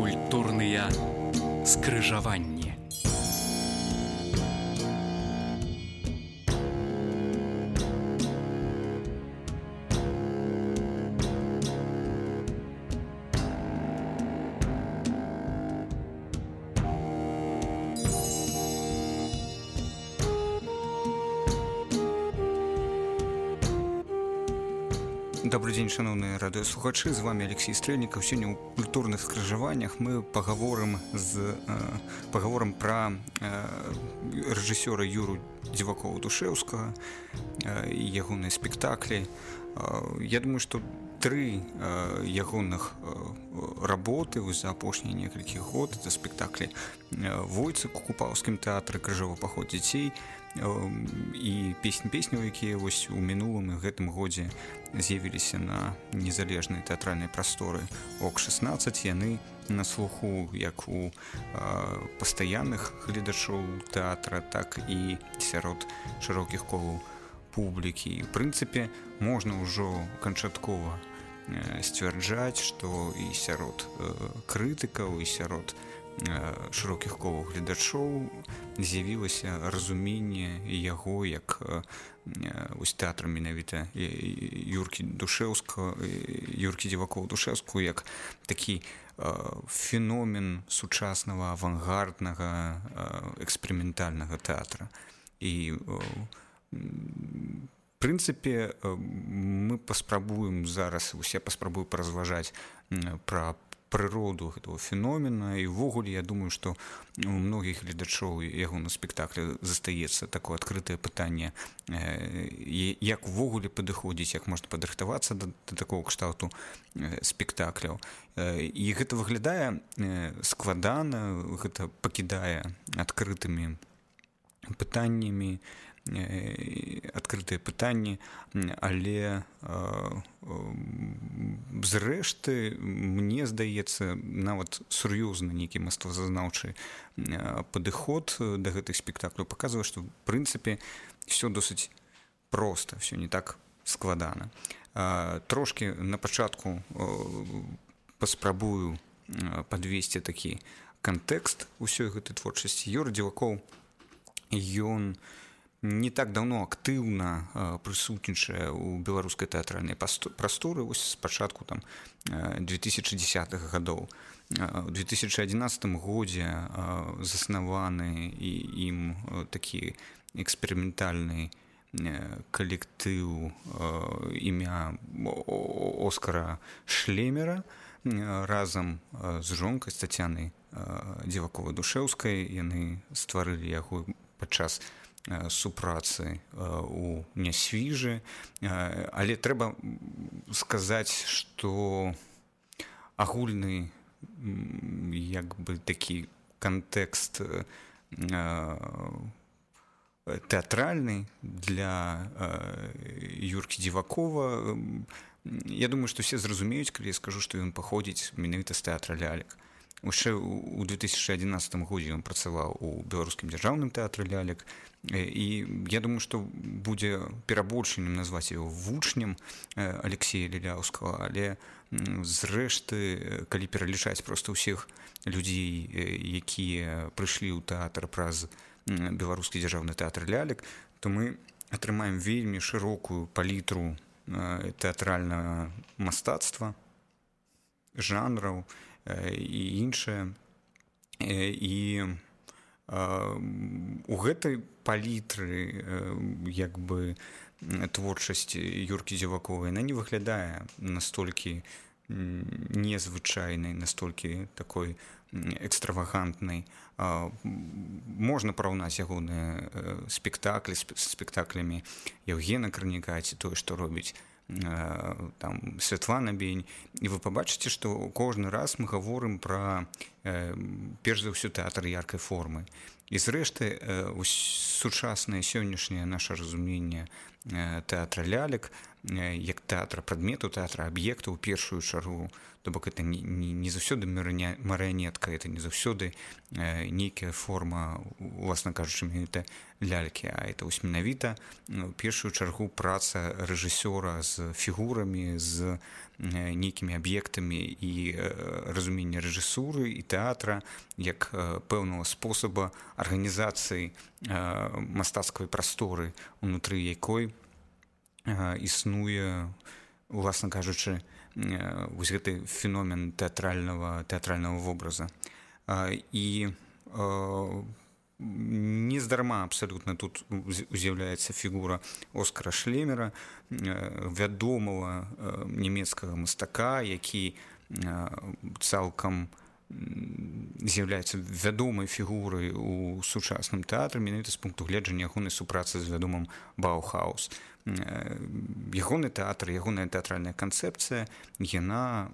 Культурныя скрыжаванні. Добрый дзень, шановныя радыёслухачы, з вами Алексей Стрэльнікаў. Сёння ў культурных скрыжаваннях мы пагаворым пра рэжысёра Юру Дзівакова-Душэўскага і ягоныя спектаклі. Я думаю, што тры ягоных работы за апошнія некалькі год, это спектаклі «Войцык» у Купаўскім тэатры, «Крыжовы паход дзяцей» і песняў, якія вось у мінулым і гэтым годзе з'явіліся на незалежнай тэатральнай прасторы ОК-16. Яны на слуху як у пастаянных гледачоў тэатра, так і сярод шырокіх колаў публікі. В прынцыпе, можна ўжо канчаткова сцвярджаць, што і сярод крытыкаў, і сярод шырокіх колаў гледачоў з'явілася разуменне яго як тэатра менавіта Юркі Дзівакова-Душэўскага як такі феномен сучаснага авангарднага эксперыментальнага тэатра. І в прынцыпе мы паспрабуем зараз, усе паспрабую паразважаць пра прыроду гэтага феномена, і ўвогуле я думаю, што у многіх гледачоў яго на спектаклі застаецца такое адкрытае пытанне, як увогуле падыходзіць, як можна падрыхтавацца да такого кшталту спектакляў. І гэта выглядае складана, гэта пакідае адкрытымі пытаннямі, адкрытыя пытанні, але зрэшты, мне здаецца, нават сур'ёзны нейкі мастацтвазнаўчы падыход да гэтых спектакляў паказвае, што в прынцыпе все досыць проста, все не так складана. Трошкі на пачатку паспрабую падвесці такі кантэкст усёй гэтай творчасці. Юра Дзівакоў, ён не так давно актыўна прысутнічае ў беларускай тэатральнай прасторы, вось з пачатку 2010-х гадоў. У 2011 годзе заснаваны ім такі эксперыментальны калектыў імя Оскара Шлемера разам з жонкай, з Тацянай Дзіваковай-Душэўскай. Яны стварылі яго падчас супрацы у Нясвіжы, але трэба сказаць, што агульны як бы такі кантэкст тэатральны для Юркі Дзівакова, я думаю, што все зразумеюць, калі я скажу, што ён паходзіць менавіта з тэатра лялек. Яшчэ ў 2011 годзе ён працаваў у беларускім дзяржаўным тэатры лялек, і я думаю, што будзе перабольшаннем назваць яго вучнем Алексея Ліляўскага, але зрэшты, калі пералічаць проста ўсіх людзей, якія прыйшлі ў тэатр праз беларускі дзяржаўны тэатр лялек, то мы атрымаем вельмі шырокую палітру тэатральнага мастацтва, жанраў і іншае. І у гэтай палітры як бы творчасць Юркі Дзівакова, яна не выглядае настолькі незвычайнай, настолькі такой экстравагантнай. Можна параўнаць ягоныя спектаклі з спектаклямі Яўгена Карніка ці тое, што робіць Святлана Бень, і вы пабачыце, што кожны раз мы гаворым пра перш за ўсё тэатр яркай формы. І зрэшты, сучаснае сённяшняе наша разуменне тэатра лялек як тэатра прадметаў, тэатра аб'ектаў у першую чаргу, то бок это не заўсёды марыянетка, это не заўсёды нейкая форма, уласна кажучы, менавіта лялькі, а это вось менавіта у першую чаргу праца рэжысёра з фігурамі, з нейкімі аб'ектамі і разуменне рэжысуры і тэатра як пэўнага спосаба арганізацыі мастацкай прасторы, унутры якой існуе, уласна кажучы, вось гэты феномен тэатральнага вобраза. І нездарма абсалютна тут з'яўляецца фігура Оскара Шлемера, вядомага нямецкага мастака, які цалкам з'яўляецца вядомай фігурай у сучасным тэатры, менавіта з пункту гледжання ягонай супрацы з вядомым Баухаус. Ягоны тэатр, ягоная тэатральная канцэпцыя, яна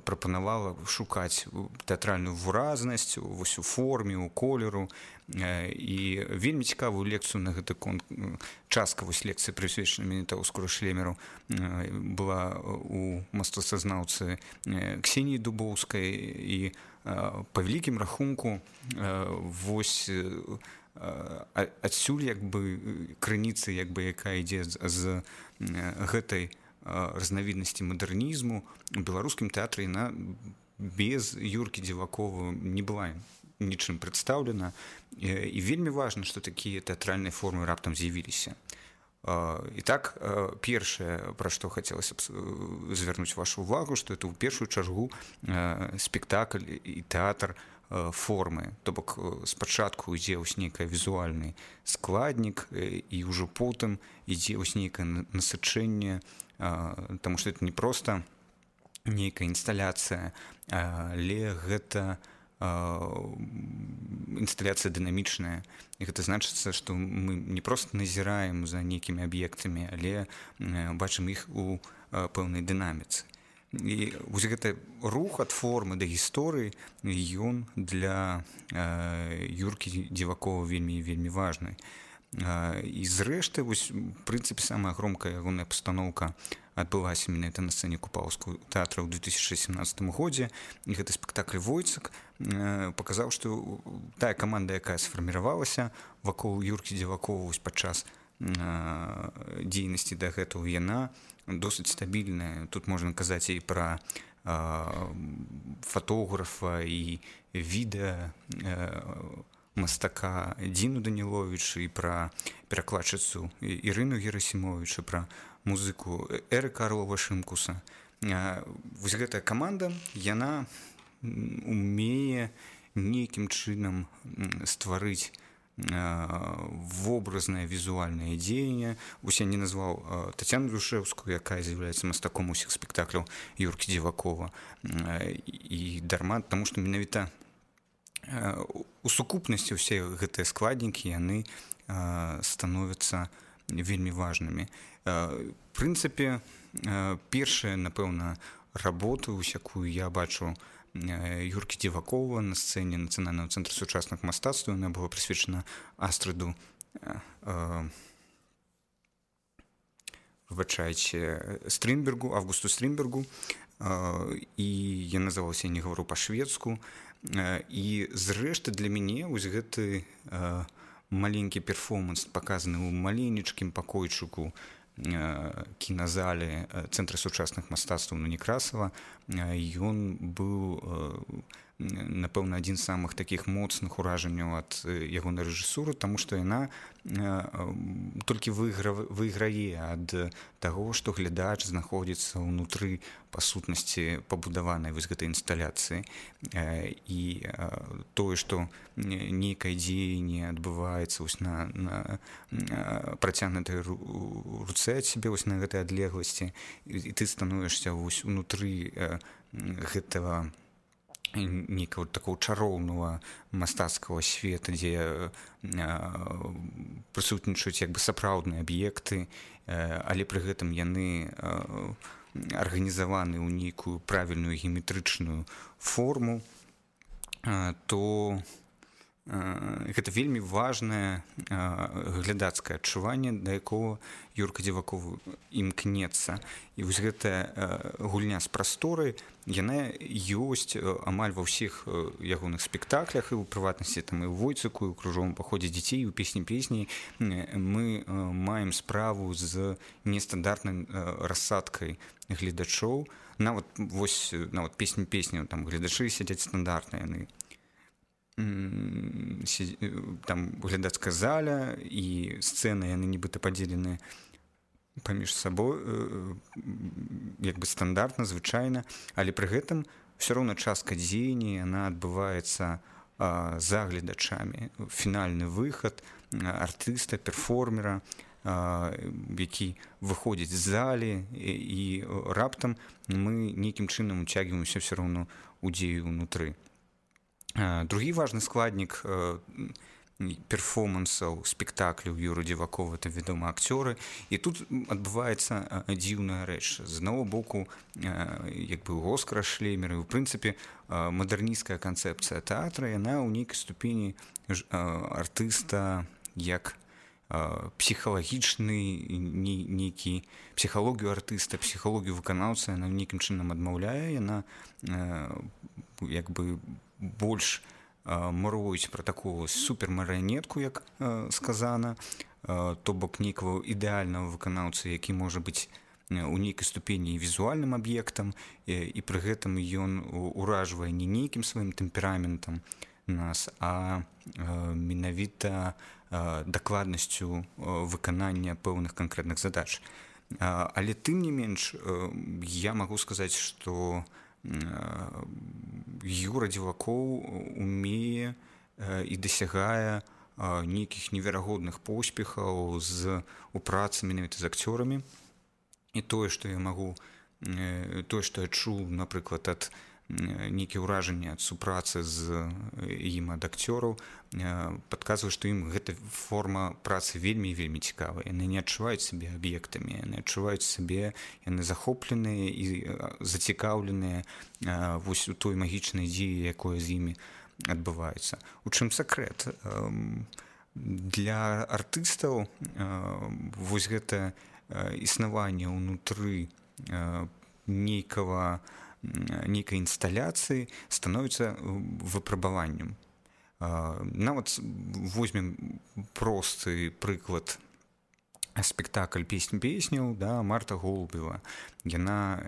прапанавала шукаць тэатральную выразнасць вось у форме, у колеру, і вельмі цікавую лекцыю на гэты конт, частка вось лекцыі прысвечана менавіта Оскару Шлемеру была у мастацтвазнаўцы Ксеніі Дубоўскай, і па вялікім рахунку вось адсюль як бы крыніцы, як бы якая ідзе з гэтай разнавіднасці мадэрнізму у беларускім тэатры, яна без Юркі Дзівакова не была нічым прадстаўлена, і вельмі важна, што такія тэатральныя формы раптам з'явіліся. І так, першае, пра што хацелася б звярнуць вашу ўвагу, што это ў першую чаргу спектакль і тэатр формы, то бок спачатку ідзе вось нейкі візуальны складнік, і ўжо потым ідзе вось нейкае насычэнне, таму што это не проста нейкая інсталяцыя, але гэта інсталяцыя дынамічная. І гэта значыцца, што мы не проста назіраем за нейкімі аб'ектамі, але бачым іх у пэўнай дынаміцы. І вось гэты рух ад формы да гісторыі, ён для Юркі Дзівакова вельмі важны. І зрэшты, вось, в прынцыпе, самая громкая ягоная пастаноўка адбылася менавіта на сцэне Купаўскага тэатра ў 2017 годзе, і гэты спектакль «Войцак» паказаў, што тая каманда, якая сфарміравалася вакол Юркі Дзівакова падчас дзейнасці да гэтага, яна досыць стабільная. Тут можна казаць і пра фотографа і відэа мастака Дзіну Даніловіч, і пра перакладчыцу Ірыну Герасімовіч, і пра музыку Эрыка Арлова-Шымкуса. Вось гэтая каманда, яна умее нейкім чынам стварыць вобразнае візуальнае дзеянне. Вось я не назваў Тацяну Грушэўскую, якая з'яўляецца мастаком усіх спектакляў Юркі Дзівакова, і дарма, таму што менавіта у сукупнасці ўсе гэтыя складнікі, яны становяцца вельмі важнымі. В прынцыпе, першая, напэўна, работа, якую я бачу Юркі Дзівакова на сцэне Нацыянальнага цэнтра сучасных мастацтваў, яна была прысвечана Астрыду, Стринбергу, Августу Стринбергу, і я называлася «Я не гавару па-шведску». І зрэшты для мяне вось гэты маленькі перформанс, паказаны ў маленечкім пакойчыку кіназалі Цэнтра сучасных мастацтваў на Некрасава, ён быў, напэўна, адзін з самых такіх моцных уражанняў ад ягонай рэжысуры, таму што яна толькі выйграе ад таго, што глядач знаходзіцца ўнутры, па сутнасці, пабудаванай вось гэтай інсталяцыі. І тое, што нейкае дзеянне адбываецца вось на працягнутай руцэ ад сябе, вось на гэтай адлегласці, і ты становішся вось унутры гэтага нейкага такого чароўнага мастацкага света, дзе прысутнічаюць як бы сапраўдныя аб'екты, але пры гэтым яны арганізаваны ў нейкую правільную геаметрычную форму, то гэта вельмі важнае глядацкае адчуванне, да якога Юрка Дзіваков імкнецца. І вось гэтая гульня з прасторай, яна ёсць амаль ва ўсіх ягоных спектаклях, і ў прыватнасці там і ў Войцыку, і ў кружовым паходзе дзяцей, і ў песні мы маем справу з нестандартнай рассадкай гледачоў. Нават песня, там гледачы сядзяць стандартныя, яны там глядацкая заля і сцэны, яны нібыта падзелены паміж сабой як бы стандартна, звычайна, але пры гэтым все роўна частка дзеяння яна адбываецца за гледачамі. Фінальны выхад артыста, перформера, які выходзіць з залі, і раптам мы нейкім чынам уцягваемся все роўна ў дзею ўнутры. Другі важны складнік перформансаў, спектакляў Юры Дзівакова — это, вядома, акцёры. І тут адбываецца дзіўная рэч. З аднаго боку, як бы Оскара Шлеймера, і, ў прынцыпе, мадэрнісцкая канцэпцыя тэатра, яна ў нейкай ступені артыста як псіхалагічны нейкі, псіхалогію артыста, псіхалогію выканаўцы яна нейкім чынам адмаўляе. Яна як бы больш муруюць пра такую супермарыянетку, як сказана, то бок нейкага ідэальнага выканаўцы, які можа быць у нейкай ступені візуальным аб'ектам, і пры гэтым ён уражвае не нейкім сваім тэмпераментам нас, а менавіта дакладнасцю выканання пэўных канкрэтных задач. Але тым не менш, я магу сказаць, што Юра Дзіваков умее і дасягае нейкіх неверагодных поспехаў у працы менавіта з акцёрамі. І тое, што я чуў, напрыклад, ад нейкія ўражанні ад супрацы з ім ад акцёраў, падказвае, што ім гэта форма працы вельмі цікавая. Яны не адчуваюць сябе аб'ектамі, яны адчуваюць сябе, яны захопленыя і зацікаўленыя вось у той магічнай дзеі, якое з імі адбываецца. У чым сакрэт? Для артыстаў вось гэта існаванне ўнутры нейкай інсталяцыі становіцца выпрабаваннем. Нават возьмем просты прыклад спектакль «Песняў», да, Марта Голубева. Яна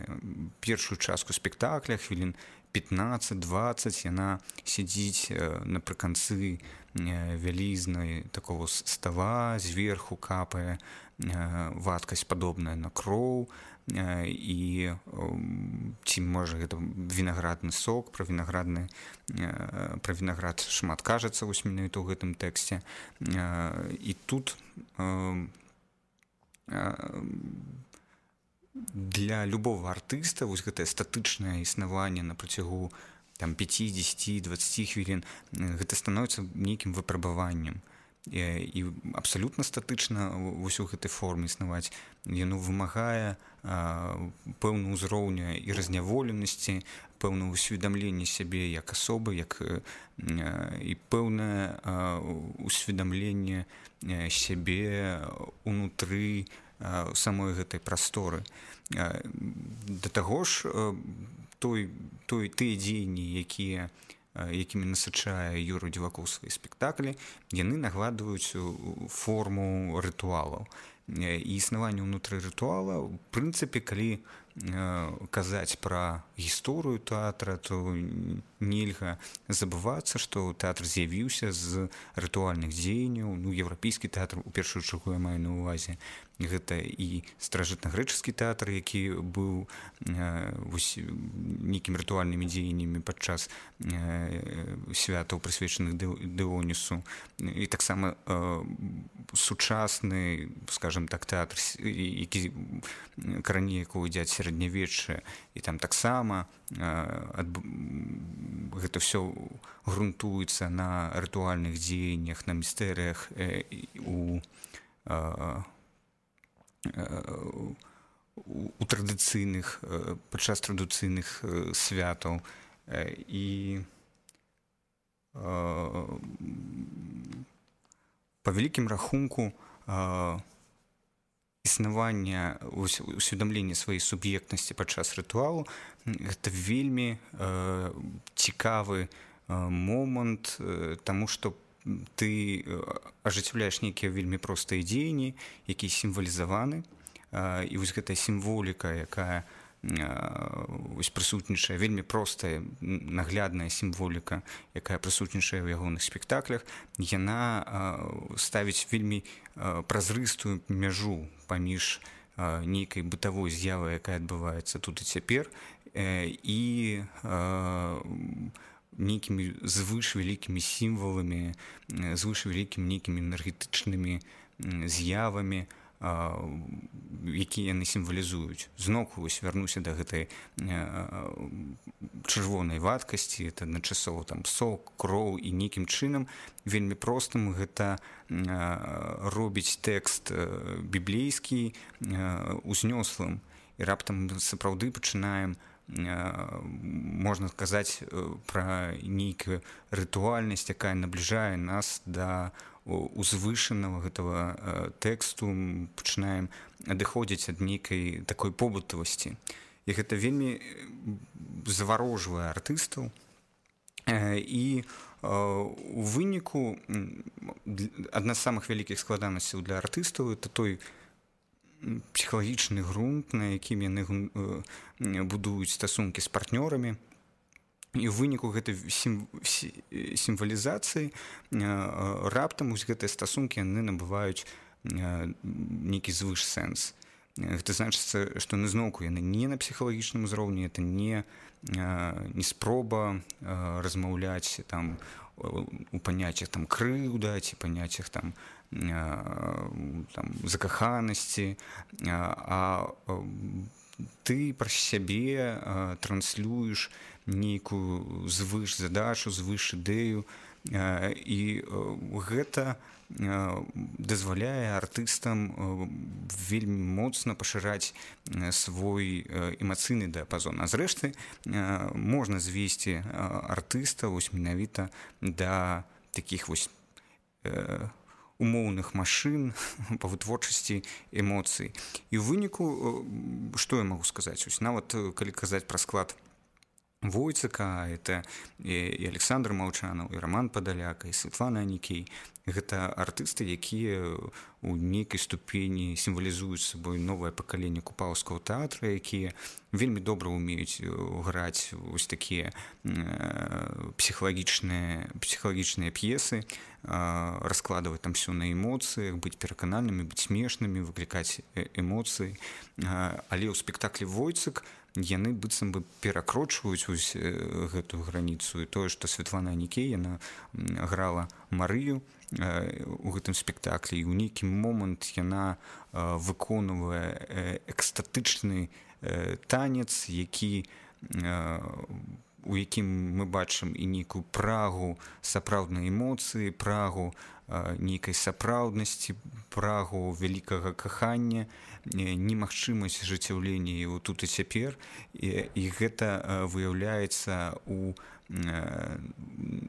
першую частку спектакля, хвілін 15-20, яна сядзіць напрыканцы вялізнай такого стала, зверху капае вадкасць падобная на кроў, і ці можа гэта вінаградны сок, пра вінаград шмат кажацца вось менавіта ў гэтым тэксце. І тут для любого артыста вось гэтае статычнае існаванне на працягу 5-10-20 хвілін гэта становіцца нейкім выпрабаваннем. І абсалютна статычна вось у гэтай форме існаваць. Яно вымагае пэўнага ўзроўня і разняволенасці, пэўнага усведамлення сябе як асобы, і пэўнае усведамленне сябе унутры самой гэтай прасторы. Да таго ж, тыя дзеянні, якімі насычае Юра Дзіваков свае спектаклі, яны нагадваюць форму рытуалаў. І існаванне ўнутры рытуала, у прынцыпе, калі казаць пра гісторыю тэатра, то нельга забывацца, што тэатр з'явіўся з рытуальных дзеянняў. Еўрапейскі тэатр, у першую чаргу, я маю на ўвазе, гэта і старажытнагрэчаскі тэатр, які быў нейкімі рытуальнымі дзеяннямі падчас святаў, прысвечаных Дыонісу. І таксама сучасны, скажем так, тэатр, які карані якого ідзе ад сярэднявечча, і там таксама гэта ўсё грунтуецца на рытуальных дзеяннях, на містэрыях у традыцыйных, падчас традыцыйных святаў. І па вялікім рахунку існавання, усведамлення сваёй суб'ектнасці падчас рытуалу гэта вельмі цікавы момант, таму што ты ажыццяўляеш нейкія вельмі простыя дзеянні, якія сімвалізаваны, і вось гэтая сімволіка, якая прысутнічае, вельмі простая, наглядная сімволіка, якая прысутнічае ў ягоных спектаклях, яна ставіць вельмі празрыстую мяжу паміж нейкай бытавой з'явай, якая адбываецца тут і цяпер, і нейкімі звышвялікімі сімваламі, звышвялікімі нейкімі энергетычнымі з'явамі, якія яны сімвалізуюць. Зноўку вярнуся да гэтай чырвонай вадкасці, это адначасова сок, кроў, і нейкім чынам вельмі простым гэта робіць тэкст біблейскі узнёслым, і раптам сапраўды пачынаем, можна сказаць, пра нейкую рытуальнасць, якая набліжае нас да узвышанага гэтага тэксту, пачынаем адыходзіць ад нейкай такой побытавасці. І гэта вельмі заварожвае артыстаў. І у выніку адна з самых вялікіх складанасцяў для артыстаў это той псіхалагічны грунт, на якім яны будуюць стасункі з партнёрамі. І ў выніку гэтай сімвалізацыі раптам гэтыя стасункі яны набываюць нейкі звышсэнс. Гэта значыцца, што зноўку яны не на псіхалагічным узроўні, это не спроба размаўляць у паняццях крыўда ці паняццях закаханасці, а ты праз сябе транслюеш нейкую звыш-задачу, звыш-ідэю, і гэта дазваляе артыстам вельмі моцна пашыраць свой эмацыйны дыяпазон. А зрэшты, можна звесці артыста менавіта да такіх умоўных машын па вытворчасці эмоцый. І ў выніку, што я магу сказаць? Нават калі казаць пра склад Войцака, это і Александр Маўчанаў, і Роман Падаляк, і Светлана Анікей. Гэта артысты, якія ў нейкай ступені сімвалізуюць сабой новае пакаленне купаўскага тэатра, якія вельмі добра ўмеюць граць такія псіхалагічныя п'есы, раскладваць ўсё на эмоцыях, быць пераканальнымі, быць смешнымі, выклікаць эмоцыі. Але ў спектаклі Войцак яны быццам бы перакрочваюць гэтую граніцу. І тое, што Светлана Анікей, яна грала Марыю у гэтым спектаклі, і ў нейкі момант яна выконвае экстатычны танец, у якім мы бачым і нейкую прагу сапраўднай эмоцыі, прагу нейкай сапраўднасці, прагу вялікага кахання, немагчымасць ажыццяўлення тут і цяпер. І гэта выяўляецца у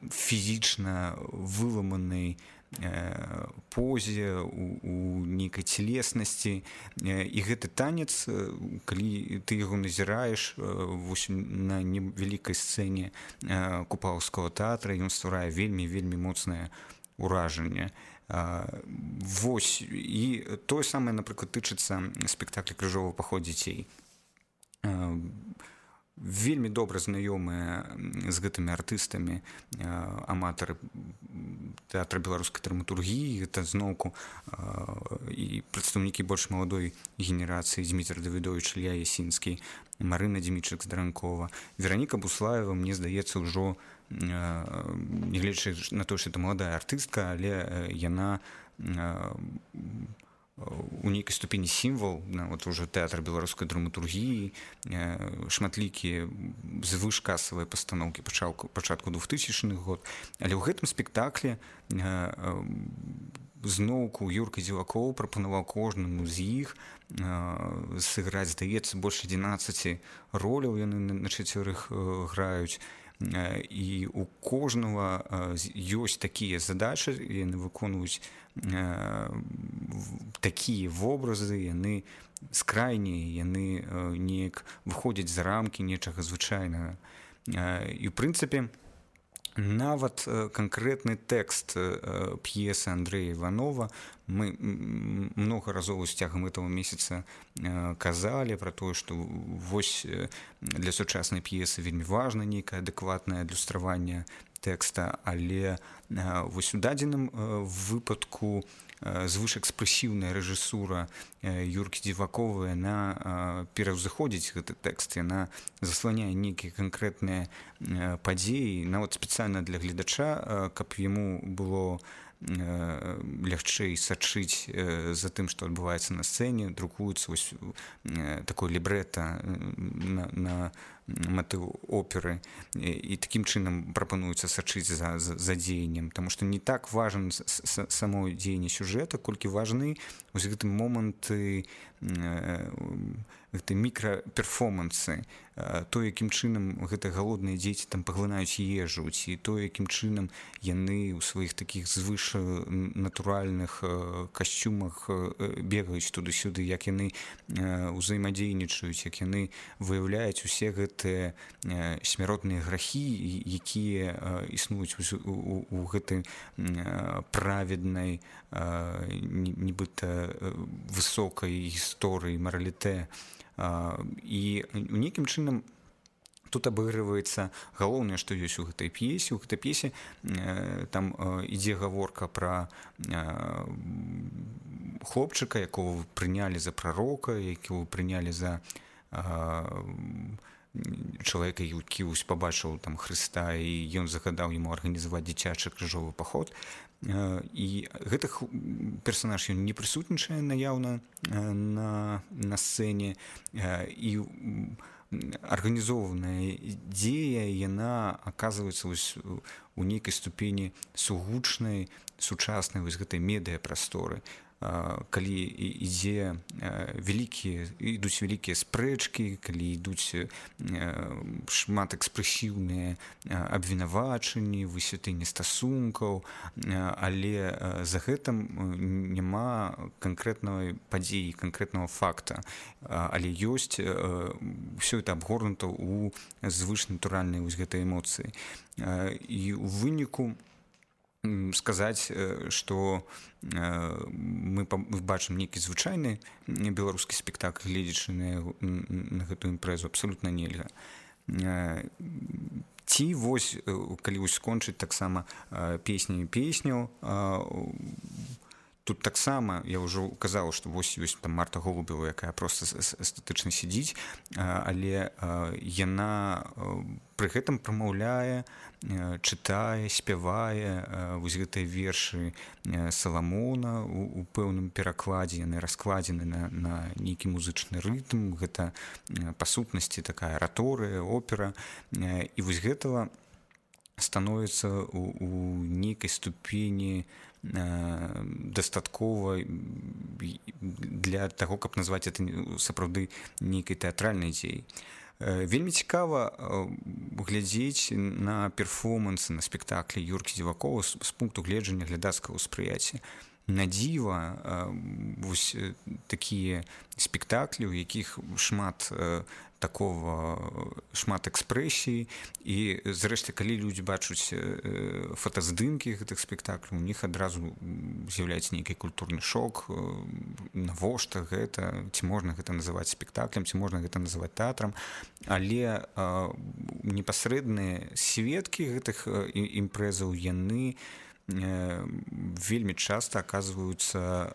фізічна выламанай позе, у нейкай целеснасці. І гэты танец, калі ты яго назіраеш на невялікай сцэне купаўскага тэатра, ён стварае вельмі моцнае ўражанне. І тое самае, напрыклад, тычыцца спектакля «Крыжовы паход дзяцей». Вельмі добра знаёмыя з гэтымі артыстамі аматары тэатра беларускай драматургіі, гэта зноўку і прадстаўнікі больш маладой генерацыі Дзмітр Давідовіч, Ілья Ясінскі, Марына Дзімічык-Здаранкова. Вераніка Буслаева, мне здаецца, ўжо, нягледзячы на тое, што это маладая артыстка, але яна у нейкай ступені сімвал ўжо тэатра беларускай драматургіі, шматлікія звышкасавыя пастаноўкі пачатку 2000-х год. Але ў гэтым спектаклі зноўку Юрка Дзівакоў прапанаваў кожнаму з іх сыграць, здаецца, больш 11 роляў яны на чацвярых граюць. і у кожнага ёсць такія задачы, яны выконваюць такія вобразы, яны скрайнія, яны неяк выходзяць за рамкі нечага звычайнага. І ў прынцыпе нават канкрэтны тэкст п'есы Андрэя Іванова мы многа разоў з цягам гэтага месяца казалі пра тое, што вось для сучаснай п'есы вельмі важна нейкае адэкватнае адлюстраванне тэкста, але вось у дадзеным выпадку звышэкспрэсіўная рэжысура Юркі Дзівакова, яна пераўзыходзіць гэты тэкст, яна засланяе нейкія канкрэтныя падзеі, нават спецыяльна для гледача, каб яму было лягчэй сачыць за тым, што адбываецца на сцэне, друкуецца вось такое лібрэта на матыў оперы, і такім чынам прапануецца сачыць за дзеяннем, таму што не так важен само дзеянне сюжэта, колькі важны вось гэты моманты, гэты мікраперформансы, то, якім чынам гэтыя галодныя дзеці там паглынаюць ежу, ці то, якім чынам яны ў сваіх такіх звышнатуральных касцюмах бегаюць туды-сюды, як яны ўзаемадзейнічаюць, як яны выяўляюць усе гэтыя смяротныя грахі, якія існуюць у гэтай праведнай, нібыта высокай гісторыі, маралітэ. І нейкім чынам тут абыгрываецца галоўнае, што ёсць у гэтай п'есе. У гэтай п'есе там ідзе гаворка пра хлопчыка, якого прынялі за прарока, якого прынялі за чалавека, які пабачыў там Хрыста, і ён загадаў яму арганізаваць дзіцячы крыжовы паход. І гэты персанаж ён не прысутнічае наяўна на сцэне, і арганізованая дзея, яна аказваецца у нейкай ступені сугучнай, сучаснай вось гэтай медыяпрасторы. Калі ідуць вялікія спрэчкі, калі ідуць шмат экспрэсіўныя абвінавачанні, высвятленне стасункаў, але за гэтым няма канкрэтнай падзеі, канкрэтнага факта, але ёсць ўсё это абгорнута ў звышнатуральнай вось гэтай эмоцыі. І ў выніку сказаць, што мы бачым нейкі звычайны беларускі спектакль, гледзячы на гэтую імпрэзу, абсалютна нельга. Ці вось, калі вось скончыць таксама песню, тут таксама я ўжо казаў, што вось ёсць там Марта Голубева, якая проста эстэтычна сядзіць, але яна пры гэтым прамаўляе, чытае, спявае вось гэтыя вершы Саламона у пэўным перакладзе, яны раскладзены на нейкі музычны рытм, гэта па сутнасці такая араторыя, опера, і вось гэтага становіцца у нейкай ступені дастаткова для таго, каб назваць это сапраўды нейкай тэатральнай дзеяй. Вельмі цікава глядзець на перформансы, на спектаклі Юркі Дзівакова з пункту гледжання глядацкага ўспрыяцця. На дзіва вось такія спектаклі, у якіх шмат экспрэсіі, і зрэшты, калі людзі бачаць фотаздымкі гэтых спектакляў, у них адразу з'яўляецца нейкі культурны шок, навошта гэта, ці можна гэта называць спектаклем, ці можна гэта называць тэатрам, але непасрэдныя сведкі гэтых імпрэзаў, яны вельмі часта аказваюцца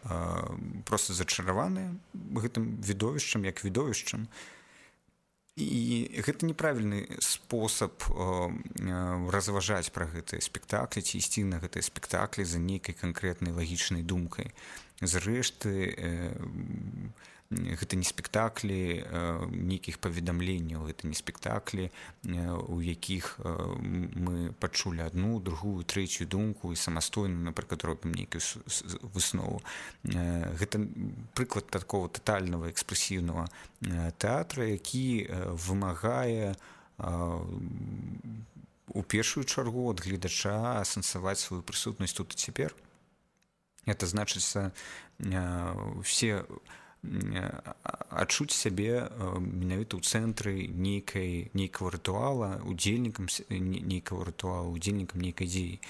проста зачараваныя гэтым відовішчам, як відовішчам. І гэта неправільны спосаб разважаць пра гэтыя спектаклі, ці ісці на гэтыя спектаклі за нейкай канкрэтнай лагічнай думкай. Зрэшты, гэта не спектаклі нейкіх паведамленняў, гэта не спектаклі, у якіх мы пачулі адну, другую, трэцюю думку і самастойна, напрыклад, робім нейкую выснову. Гэта прыклад такого татальнага экспрэсіўнага тэатра, які вымагае у першую чаргу ад гледача асэнсаваць сваю прысутнасць тут і цяпер. Это значыцца все адчуць сябе менавіта ў цэнтры нейкага рытуала, удзельнікам нейкага рытуала, удзельнікам нейкай дзеі.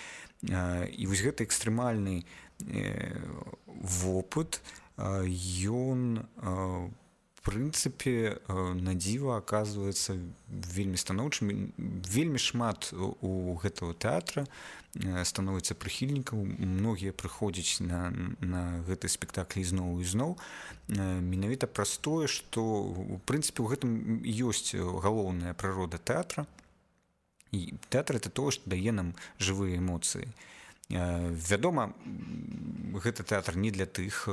І вось гэты экстрэмальны вопыт, ён прынцыпе на дзіва аказваецца вельмі станоўчым. Вельмі шмат у гэтага тэатра становіцца прыхільнікаў, многія прыходзяць на гэты спектакль ізноў і зноў менавіта праз тое, што у прынцыпе у гэтым ёсць галоўная прырода тэатра. І тэатр это тое, што дае нам жывыя эмоцыі. Вядома, гэты тэатр не для тых,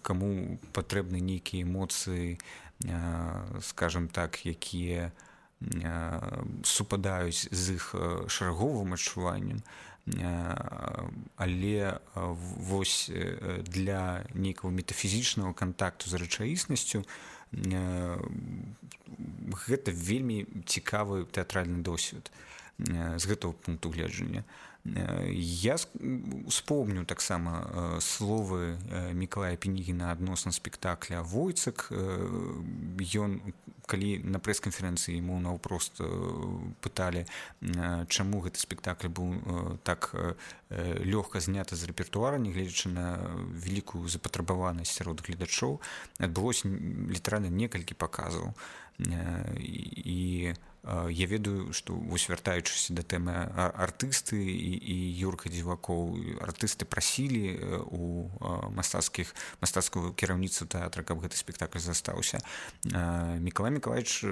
каму патрэбны нейкія эмоцыі, скажам так, якія супадаюць з іх шараговым адчуваннем, але вось для нейкага метафізічнага кантакту з рэчаіснасцю гэта вельмі цікавы тэатральны досвед з гэтага пункту гледжання. Я успомню таксама словы Мікалая Пінігіна адносна спектакля «Войцак». Ён, калі на прэс-канферэнцыі яму наўпрост пыталі, чаму гэты спектакль быў так лёгка зняты з рэпертуара, нягледзячы на вялікую запатрабаванасць сярод гледачоў, адбылося літаральна некалькі паказаў. І я ведаю, што вось вяртаючыся да тэмы артысты і Юрка Дзівакоў, артысты прасілі у мастацкую кіраўніцтва тэатра, каб гэты спектакль застаўся. Мікалай Мікалаевіч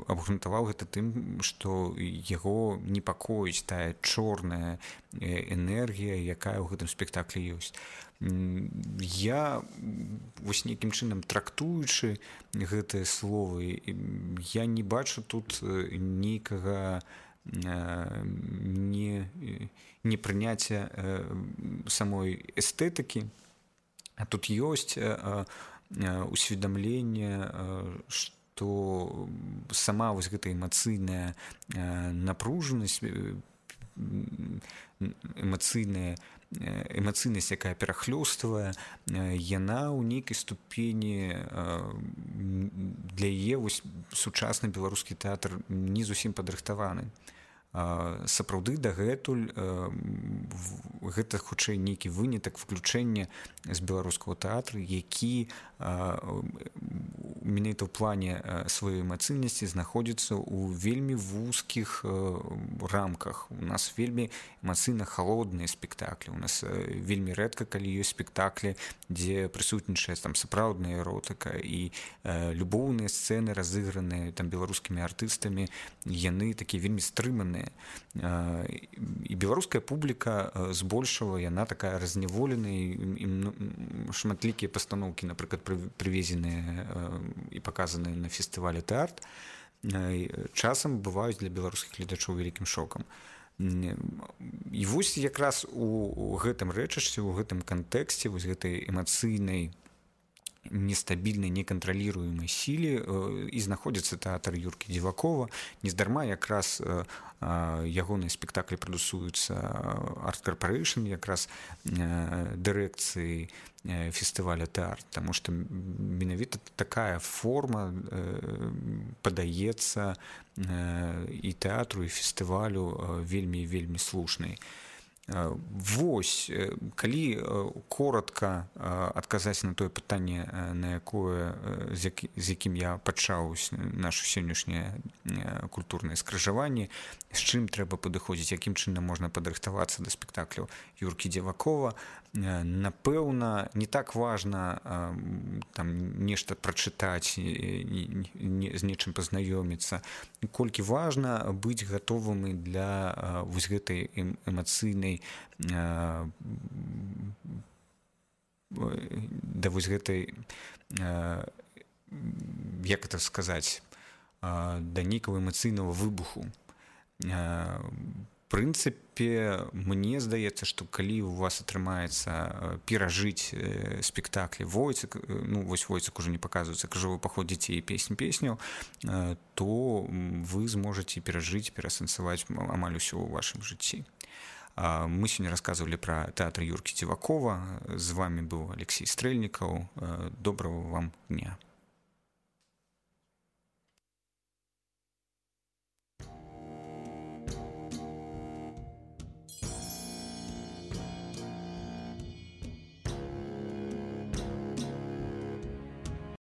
абгрунтаваў гэта тым, што яго непакоіць тая чорная энергія, якая ў гэтым спектаклі ёсць. Я вось нейкім чынам трактуючы гэтыя словы, я не бачу тут нейкага непрыняцця самой эстэтыкі, а тут ёсць усведамленне, што сама вось гэта эмацыйная напружанасць, эмацыйнасць, якая перахлёстывае, яна ў нейкай ступені для яе сучасны беларускі тэатр не зусім падрыхтаваны. Сапраўды дагэтуль гэта хутчэй нейкі вынятак выключэння з беларускага тэатра, які менавіта ў плане сваёй эмацыйнасці знаходзіцца ў вельмі вузкіх рамках. У нас вельмі эмацыйна халодныя спектаклі. У нас вельмі рэдка, калі ёсць спектаклі, дзе прысутнічае там сапраўдная эротыка, і любоўныя сцэны, разыграныя там беларускімі артыстамі, яны такія вельмі стрыманыя. І беларуская публіка збольшала, яна такая разняволеная, і шматлікія пастаноўкі, напрыклад, прывезеныя і паказаныя на фестывалі тэарт, часам бываюць для беларускіх гледачоў вялікім шокам. І вось якраз у гэтым рэчышце, у гэтым кантэксце, вось гэтай эмацыйнай, нестабільнай, некантраліруемай сіле і знаходзіцца тэатр Юркі Дзівакова. Нездарма якраз ягоныя спектаклі прадусуюцца Арт Карпарэйшн, якраз дырэкцыі фестываля тэарт, таму што менавіта такая форма падаецца і тэатру, і фестывалю вельмі слушнай. Вось, калі коротка адказаць на тое пытанне, на якое, з якім я пачаў нашу сённяшняе культурнае скрыжаванне, з чым трэба падыходзіць, якім чынам можна падрыхтавацца да спектакляў Юркі Дзівакова, напэўна, не так важна там нешта прачытаць, з нечым пазнаёміцца, колькі важна быць гатовымі для вось гэтай эмацыйнай, да вось гэтай, як это сказаць, да нейкага эмацыйнага выбуху. прынцыпе, мне здаецца, што калі у вас атрымаецца перажыць спектаклі Войцек, ну вось Войцек уже не паказваецца, крыжовы паход дзяцей і песняў, то вы зможаце перажыць, перасэнсаваць амаль усё ў вашым жыцці. Мы сёння расказвалі пра тэатр Юркі Дзівакова. З вами быў Алексей Стрэльнікаў. Добрага вам дня.